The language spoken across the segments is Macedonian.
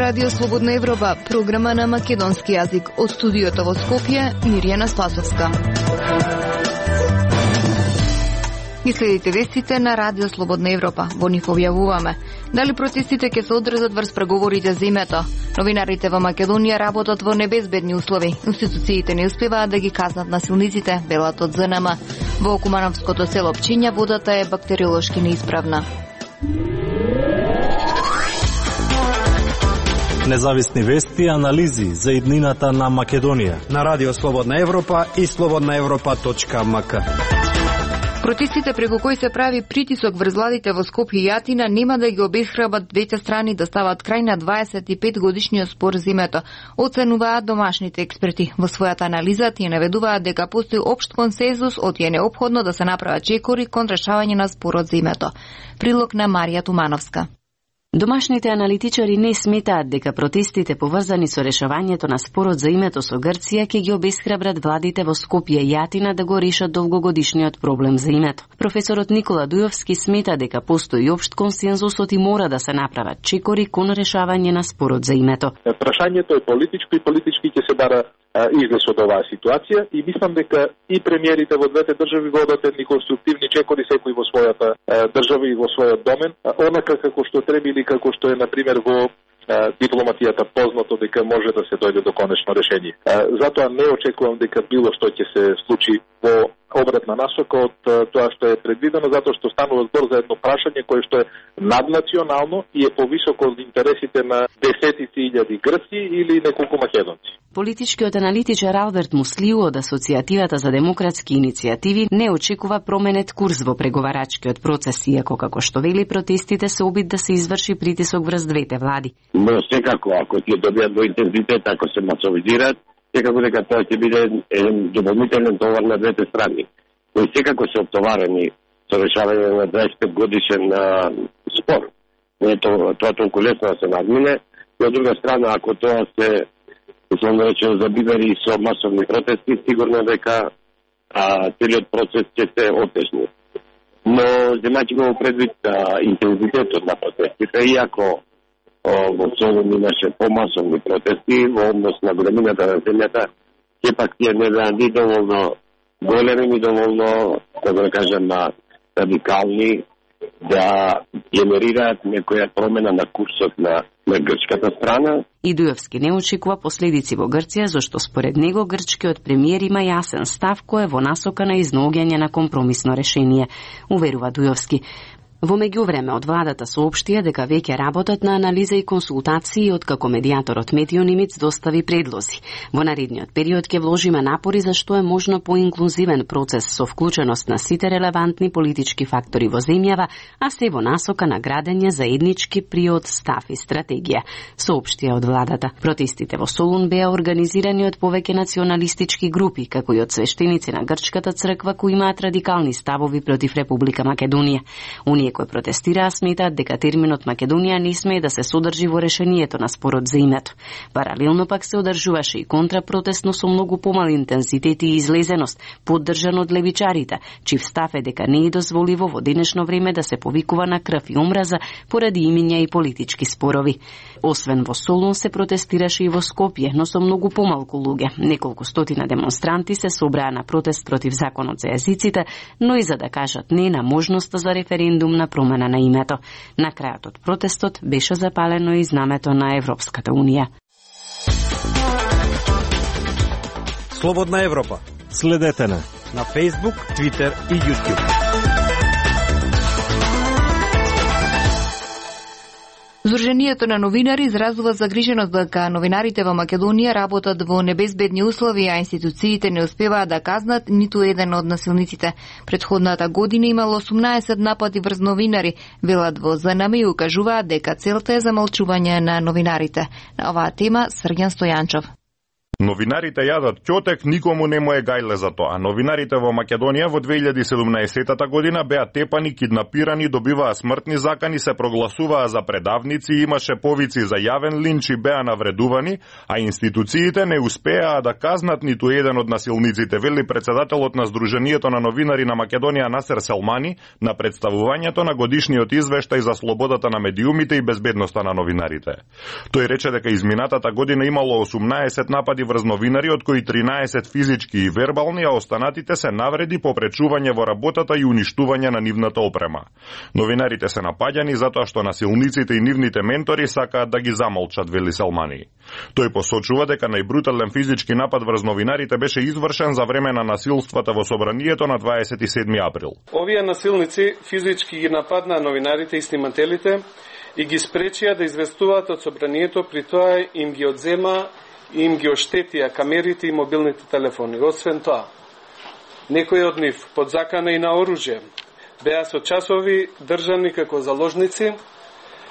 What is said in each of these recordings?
Радио Слободна Европа, програма на македонски јазик. Од студиото во Скопје, Мирјана Спасовска. Ги следите вестите на Радио Слободна Европа. Во нив објавуваме дали протестите ќе се одржат врз преговорите за името. Новинарите во Македонија работат во небезбедни услови. Институциите не успеваат да ги казнат насилниците, велат од ЗНМ. Во Кумановското село Пчиња водата е бактериолошки неисправна. Независни вести и анализи за иднината на Македонија на Радио Слободна Европа и slobodnaevropa.mk. Протестите преку кои се прави притисок врз владите во Скопје и Атина нема да ги обесхрабат двете страни да стават крај на 25 годишниот спор за името, оценуваат домашните експерти. Во својата анализа тие наведуваат дека постои општ консензус од е неопходно да се направат чекори кон решавање на спорот за името. Прилог на Марија Тумановска. Домашните аналитичари не сметаат дека протестите поврзани со решавањето на спорот за името со Грција ќе ги обесхрабрат владите во Скопје и Атина да го решат долгогодишниот проблем за името. Професорот Никола Дујовски смета дека постои општ консензусот и мора да се направат чекори кон решавање на спорот за името. Прашањето е политичко и политички ќе се бара излез од оваа ситуација и мислам дека и премиерите во двете држави водат едни конструктивни чекори секој во својата држава и во својот домен, онака како што треба или како што е например во дипломатијата познато дека може да се дојде до конечно решение. Затоа не очекувам дека било што ќе се случи во обратна насока од тоа што е предвидено, затоа што станува збор за едно прашање кое што е наднационално и е повисоко од интересите на десетици илјади грци или неколку македонци. Политичкиот аналитичар Алберт Муслиу од Асоцијативата за демократски иницијативи не очекува променет курс во преговарачкиот процес, иако како што вели протестите се обид да се изврши притисок врз двете влади. Но секако, ако ќе добијат во интензитет, ако се масовизираат, секако дека тоа ќе биде еден дополнителен товар на двете страни, кои секако се оптоварени со решавање на 25 годишен спор. Не е тоа толку лесно да се надмине, но од друга страна, ако тоа се условно речено забивери со масовни протести, сигурно дека целиот процес ќе се отежни. Но земајќи го предвид интензитетот на протестите, иако во Солун имаше помасовни протести во однос на големината на земјата, сепак тие не беа ни доволно големи, ни доволно, како да кажем, радикални да генерираат некоја промена на курсот на грчката страна. И Дујовски не очекува последици во Грција, зашто според него грчкиот премиер има јасен став кој е во насока на изнаоѓање на компромисно решение, уверува Дујовски. Во меѓувреме од владата соопштија дека веќе работат на анализа и консултации откако медијаторот Метио Нимиц достави предлози. Во наредниот период ќе вложиме напори за што е можно поинклузивен процес со вклученост на сите релевантни политички фактори во земјава, а се во насока на градење заеднички приод, став и стратегија, соопштија од владата. Протестите во Солун беа организирани од повеќе националистички групи, како и од свештеници на грчката црква кои имаат радикални ставови против Република Македонија. Оние кои протестираа сметаат дека терминот Македонија не смее да се содржи во решението на спорот за името. Паралелно пак се одржуваше и контрапротестно со многу помал интензитет и излезеност, поддржан од левичарите, чив став е дека не е дозволиво во денешно време да се повикува на крв и омраза поради имиња и политички спорови. Освен во Солун се протестираше и во Скопје, но со многу помалку луѓе. Неколку стотина демонстранти се собраа на протест против законот за јазиците, но и за да кажат не на можноста за референдум на промена на името. На крајот од протестот беше запалено и знамето на Европската Унија. Слободна Европа. Следете на Facebook, Twitter и YouTube. Здруженијето на новинари изразува загриженост дека новинарите во Македонија работат во небезбедни услови, а институциите не успеваат да казнат ниту еден од насилниците. Предходната година имало 18 напади врз новинари, велат во ЗНМ и укажуваат дека целта е замолчување на новинарите. На оваа тема Срѓан Стојанчов. Новинарите јадат ќотек, никому не му е гајле за тоа. Новинарите во Македонија во 2017 година беа тепани, киднапирани, добиваа смртни закани, се прогласуваа за предавници, имаше повици за јавен линч и беа навредувани, а институциите не успеаа да казнат ниту еден од насилниците, вели председателот на Сдруженијето на новинари на Македонија Насер Селмани на представувањето на годишниот извештај за слободата на медиумите и безбедноста на новинарите. Тој рече дека изминатата година имало 18 напади врз новинари, од кои 13 физички и вербални, а останатите се навреди, попречување во работата и уништување на нивната опрема. Новинарите се напаѓани затоа што насилниците и нивните ментори сакаат да ги замолчат, вели Селмани. Тој посочува дека најбрутален физички напад врз новинарите беше извршен за време на насилствата во собранието на 27 април. Овие насилници физички ги нападнаа новинарите и снимателите и ги спречија да известуваат од собранието, при тоа им ги одзема и им ги оштетија камерите и мобилните телефони. Освен тоа, некои од нив под закана и на оружје беа со часови држани како заложници,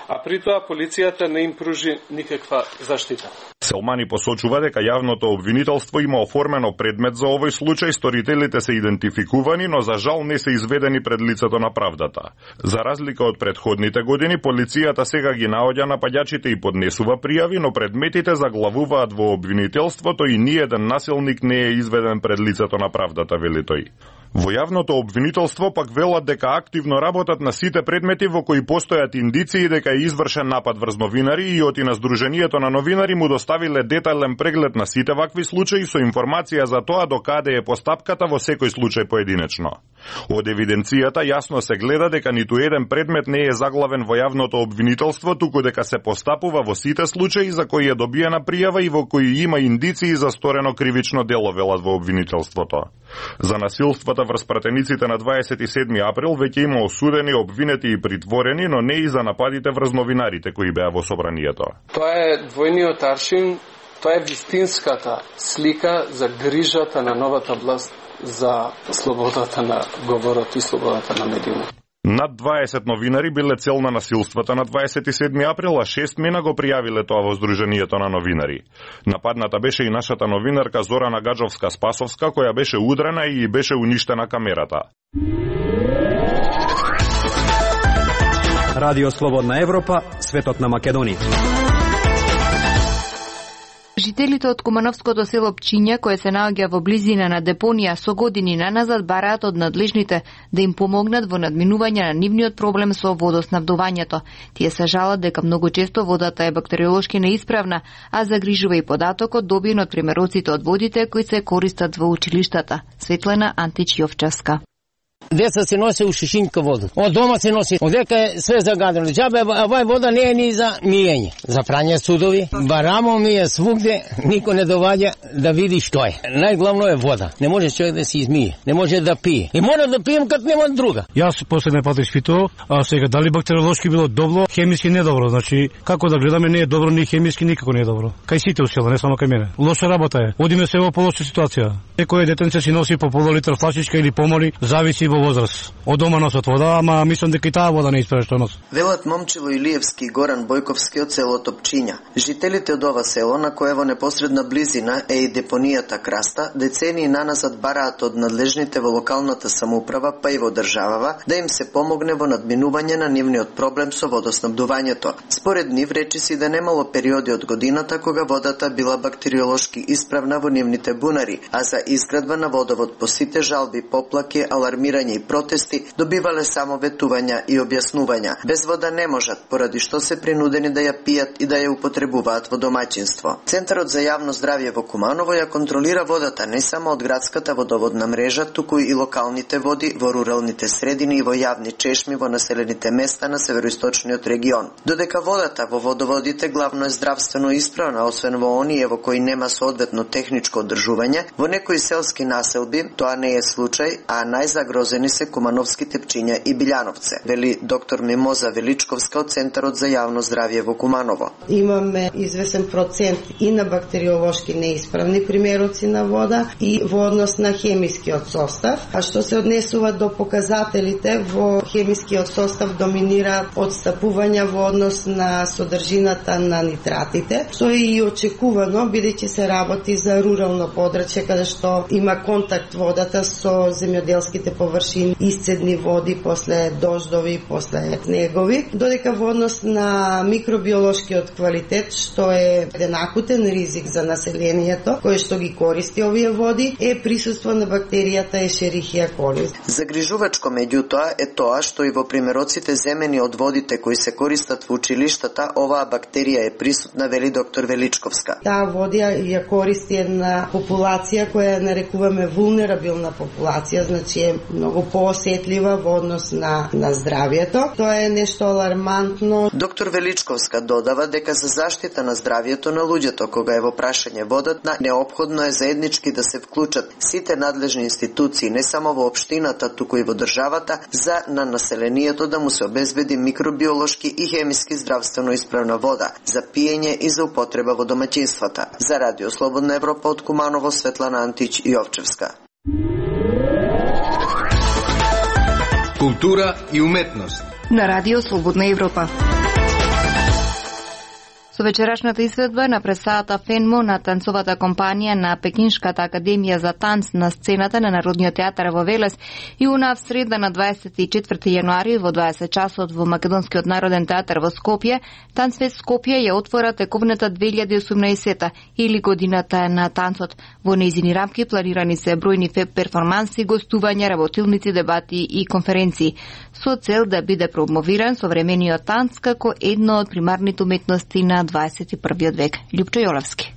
а при тоа полицијата не им пружи никаква заштита. Селмани посочува дека јавното обвинителство има оформено предмет за овој случај, сторителите се идентификувани, но за жал не се изведени пред лицето на правдата. За разлика од предходните години, полицијата сега ги наоѓа напаѓачите и поднесува пријави, но предметите заглавуваат во обвинителството и ниеден насилник не е изведен пред лицето на правдата, вели тој. Во јавното обвинителство пак велат дека активно работат на сите предмети во кои постојат индиции дека е извршен напад врз новинари и оти на Сдруженијето на новинари му доставиле детайлен преглед на сите вакви случаи со информација за тоа до каде е постапката во секој случај поединечно. Од евиденцијата јасно се гледа дека ниту еден предмет не е заглавен во јавното обвинителство, туку дека се постапува во сите случаи за кои е добиена пријава и во кои има индиции за сторено кривично дело, велат во обвинителството. За насилствата врз пратениците на 27 април веќе има осудени, обвинети и притворени, но не и за нападите врз новинарите кои беа во собранието. Тоа е двојниот аршин, тоа е вистинската слика за грижата на новата власт за слободата на говорот и слободата на медиумот. Над 20 новинари биле цел на насилствата на 27 април, а 6 мина го пријавиле тоа во Сдруженијето на новинари. Нападната беше и нашата новинарка Зорана Гаджовска-Спасовска, која беше удрена и беше уништена камерата. Радио Слободна Европа, светот на Македонија. Жителите од Кумановското село Пчиња, кое се наоѓа во близина на депонија, со години наназад бараат од надлежните да им помогнат во надминување на нивниот проблем со водоснабдувањето. Тие се жалат дека многу често водата е бактериолошки неисправна, а загрижува и податокот добиен од примероците од водите кои се користат во училиштата. Светлана Антич-Јовчевска. Деца се носи у шишинка вода. Од дома се носи. Одека е све загадено. Џабе овај вода не е ни за мијење. За прање судови, барамо ми е свугде, никој не доваѓа да види што е. Најглавно е вода. Не може човек да се измие, не може да пие. И мора да пием кад нема друга. Јас последен пат испитував, а сега дали бактериолошки било добро, хемиски не добро. Значи како да гледаме не е добро ни хемиски, никако не е добро. Кај сите усела, не само кај мене. Лоша работа е. Одиме се во полоша ситуација. Некој детенце си носи по полулитар флашичка или помали, зависи во возраст. Од дома носат вода, ама мислам дека и таа вода не исправа што носи. Велат Момчило Илиевски и Горан Бојковски од селото Пчиња. Жителите од ова село, на кое во непосредна близина е и депонијата Краста, децении наназад бараат од надлежните во локалната самоуправа, па и во државава, да им се помогне во надминување на нивниот проблем со водоснабдувањето. Според нив речиси да немало периоди од годината кога водата била бактериолошки исправна во нивните бунари, а за изградба на водовод по сите жалби, поплаки, алармирање и протести добивале само ветувања и објаснувања. Без вода не можат, поради што се принудени да ја пијат и да ја употребуваат во домаќинство. Центарот за јавно здравје во Куманово ја контролира водата не само од градската водоводна мрежа, туку и локалните води во руралните средини и во јавни чешми во населените места на североисточниот регион. Додека водата во водоводите главно е здравствено исправна, освен во оние во кои нема соодветно техничко одржување, во некои некои селски населби тоа не е случај, а најзагрозени се Кумановските Пчиња и Билјановце, вели доктор Мимоза Величковска од Центарот за јавно здравје во Куманово. Имаме известен процент и на бактериолошки неисправни примероци на вода и во однос на хемискиот состав, а што се однесува до показателите, во хемискиот состав доминира одстапување во однос на содржината на нитратите, што е и очекувано, бидејќи се работи за рурално подрачје каде што има контакт водата со земјоделските површини, исцедни води после дождови, после снегови, додека во однос на микробиолошкиот квалитет, што е еден акутен ризик за населението, кој што ги користи овие води, е присуство на бактеријата Escherichia coli. Загрижувачко меѓутоа е тоа што и во примероците земени од водите кои се користат во училиштата, оваа бактерија е присутна, вели доктор Величковска. Таа водија ја користи една популација која нарекуваме вулнерабилна популација, значи е многу поосетлива во однос на здравјето. Тоа е нешто алармантно. Доктор Величковска додава дека за заштита на здравјето на луѓето кога е во прашање водата, неопходно е заеднички да се вклучат сите надлежни институции, не само во општината, туку и во државата, за на населението да му се обезбеди микробиолошки и хемиски здравствено исправна вода за пиење и за употреба во домаќинствата. За Радио Слободна Европа од Куманово, Светлана Антич Јовчевска. Култура и уметност на Радио Слободна Европа. Со вечерашната изведба на представата Фенмо на танцовата компанија на Пекиншката академија за танц на сцената на Народниот театар во Велес и в среда на 24 јануари во 20 часот во Македонскиот народен театар во Скопје, Танцфест Скопје ја отвора тековната 2018 или годината на танцот. Во нејзини рамки планирани се бројни перформанси, гостувања, работилници, дебати и конференции со цел да биде промовиран современиот танц како едно од примарните уметности на 21. век. Љупчо Јолевски.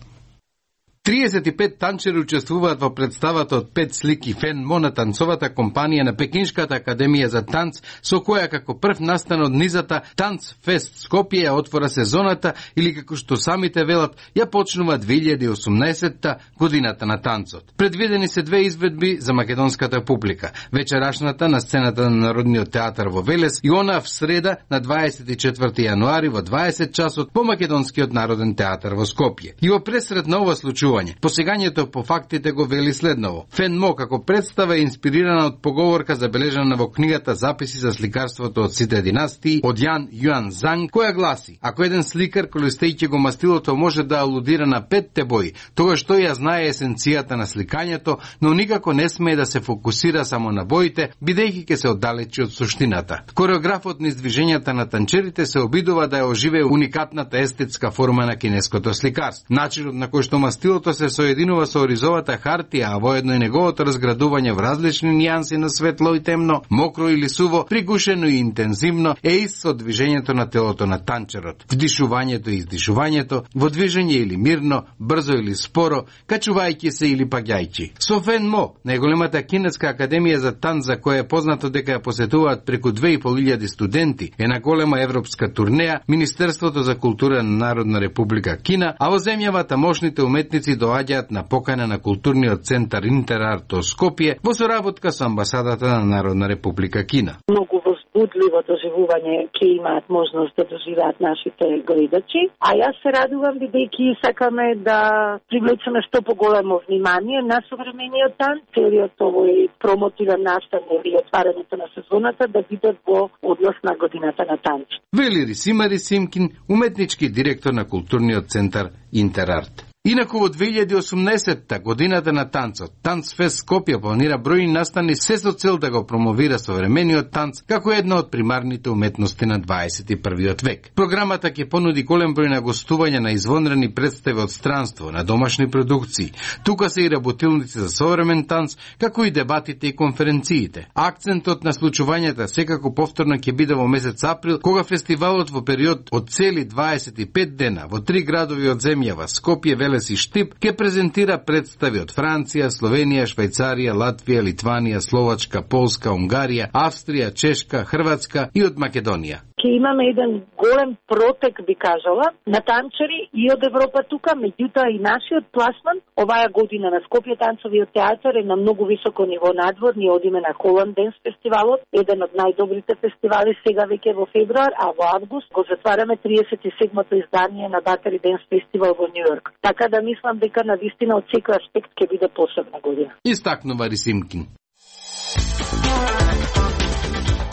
35 танчери учествуваат во представата од 5 слики Фенмо на танцовата компанија на Пекиншката академија за танц, со која како прв настан од низата Танцфест Скопје ја отвора сезоната или како што самите велат, ја почнува 2018 годината на танцот. Предвидени се две изведби за македонската публика. Вечерашната на сцената на Народниот театар во Велес и она в среда на 24 јануари во 20 часот во Македонскиот народен театар во Скопје. И во пресред на ова случување, посегањето по фактите го вели следново. Фенмо како представа е инспирирана од поговорка забележана во книгата Записи за сликарството од сите династии од Јан Јуан Занг, која гласи: ако еден сликар користејќи го мастилото може да алудира на 5 бои, тогаш тој ја знае есенцијата на сликањето, но никако не смее да се фокусира само на боите, бидејќи ќе се оддалечи од суштината. Кореографот низ движењата на танчерите се обидува да ја оживее уникатната естетска форма на кинеското сликарство. Начинот на кој што мастилото се соединува со оризовата хартија, а воедно и неговото разградување в различни нијанси на светло и темно, мокро или суво, пригушено и интензивно, е ист со движењето на телото на танчерот. Вдишувањето и издишувањето, во движење или мирно, брзо или споро, качувајќи се или паѓајќи. Со Фенмо, најголемата кинеска академија за танц, за која е познато дека ја посетуваат преку 2500 студенти, е на голема европска турнеја, Министерството за култура на Народна република Кина, а во земјава тамошните уметници доаѓаат на покана на културниот центар Интерарт од Скопје во соработка со амбасадата на Народна република Кина. Многу возбудливо доживување ќе имаат можност да доживеат нашите гледачи, а јас се радувам бидејќи сакаме да привлечеме што поголемо внимание на современиот танц, целиот овој промотивен настан или отварањето на сезоната да биде во однос на годината на танц. Вели Рисима Рисимкин, уметнички директор на културниот центар Интерарт. Инаку во 2018 годината на танцот, Танцфест Скопје планира бројни настани се со цел да го промовира современиот танц како една од примарните уметности на 21. век. Програмата ќе понуди голем број на гостувања на извонредни представи од странство, на домашни продукции. Тука се и работилници за современ танц, како и дебатите и конференциите. Акцентот на случувањата секако повторно ќе биде во месец април, кога фестивалот во период од цели 25 дена во 3 градови од земјава, Скопје, Велес и Штип, ќе презентира представи од Франција, Словенија, Швајцарија, Латвија, Литванија, Словачка, Полска, Унгарија, Австрија, Чешка, Хрватска и од Македонија. ќе имаме еден голем протек, би кажала, на танчери и од Европа тука, меѓутоа и нашиот пласман оваа година на Скопје танцовиот театар е на многу високо ниво надвор. Ние одиме на Холанд Денс фестивалот, еден од најдобрите фестивали сега веќе во февруар, а во август го затвараме 37-то издание на Battery Dance Festival во Нью Йорк. Така да мислам дека на вистина од секој аспект ќе биде посебна година. Истакнува Рисимкин.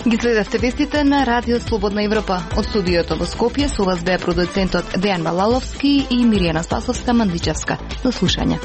Ги следевте вестите на Радио Слободна Европа. Од студиото во Скопје со вас беа продуцентот Дејан Малаловски и Миријана Спасовска-Мандичевска. До слушање.